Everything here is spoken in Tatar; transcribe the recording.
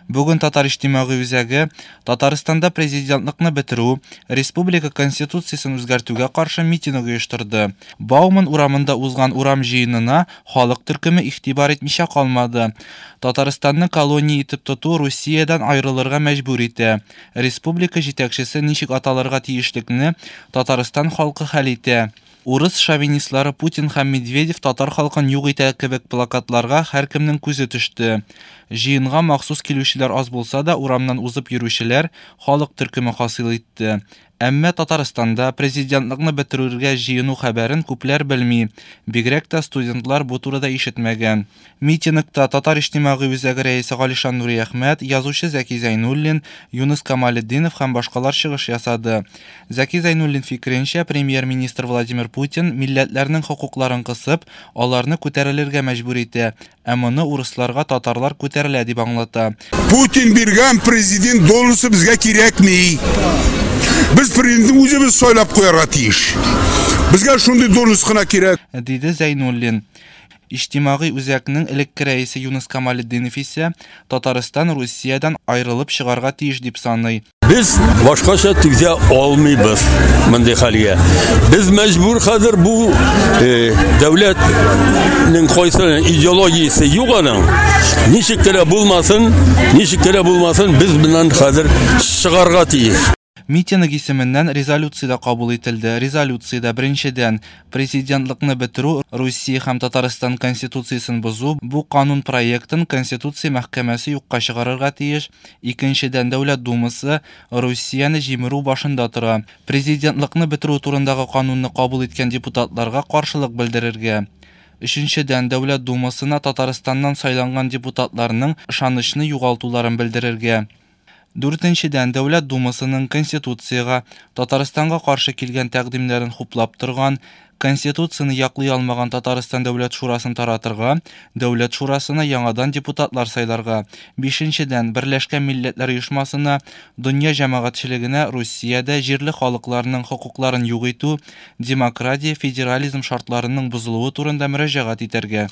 Бүген Татар иҗтимагый үзәге Татарстанда президентлыкны бетерү, республика Конституциясен үзгәртүгә каршы митинг оештырды. Бауман урамында узган урам җыенына халык төркеме игътибар итмичә калмады. Татарстанны колония итеп тоту Русиядән аерылырга мәҗбүр итә. Республика җитәкчесе ничек аталырга тиешлекне Татарстан халкы хәл итә. Урыс шовинистлары Путин һәм Медведев татар халкын юк итә кебек плакатларга һәркемнең күзе төште. Җыенга махсус килүчеләр аз булса да, урамнан узып йөрүчеләр халык төркеме хасил итте. Әмма Татарстанда президентлыкны бетерергә җыену хәбәрен күпләр белми, бигрәк тә студентлар бу турыда ишетмәгән. Митингта Татар иҗтимагый үзәге рәисе Галишан Нуриәхмәт, язучы Зәки Зәйнуллин, Юныс Камалетдинов һәм башкалар чыгыш ясады. Зәки Зәйнуллин фикеренчә, премьер-министр Владимир Путин милләтләрнең хокукларын кысып, аларны күтәрелергә мәҗбүр итә, ә моны урысларга татарлар күтәрелә дип аңлата. Путин биргән президент должности безгә кирәкми. Без президентны үзебез сайлап куярга тиеш. Безгә шундый должность кына кирәк. Диде Зәйнуллин. Иҗтимагый үзәкнең элекке рәисе Юныс Камалетдинов исә Татарстан Русиядән аерылып чыгарга тиеш дип саный. Без башкача түзә алмыйбыз мондый хәлгә. Без мәҗбүр хәзер бу э, дәүләтнең кайсы идеологиясе юк аның. Ничек кенә булмасын, ничек кенә булмасын, без моннан хәзер чыгарга тиеш. Митинг исеменнән резолюция дә кабул ителде. Резолюциядә, беренчедән, президентлыкны бетерү, Русия һәм Татарстан Конституциясен бозу, бу канун проектын Конституция мәхкәмәсе юкка чыгарырга тиеш, икенчедән, Дәүләт Думасы Русияне җимерү башында тора, президентлыкны бетерү турындагы канунны кабул иткән депутатларга каршылык белдерергә. Өченчедән, Дәүләт Думасына Татарстаннан сайланган депутатларның ышанычны югалтуларын белдерергә. Дүртенчедән, Дәүләт Думасының Конституциягә, Татарстанга каршы килгән тәкъдимнәрен хуплап торган, Конституцияне яклый алмаган Татарстан Дәүләт Шурасын таратырга, Дәүләт Шурасына яңадан депутатлар сайларга. Бишенчедән, Берләшкән Милләтләр Оешмасына, дөнья җәмәгатьчелегенә Русиядә җирле халыкларның хокукларын юк итү, демократия, федерализм шартларының бозылуы турында мөрәҗәгать итәргә.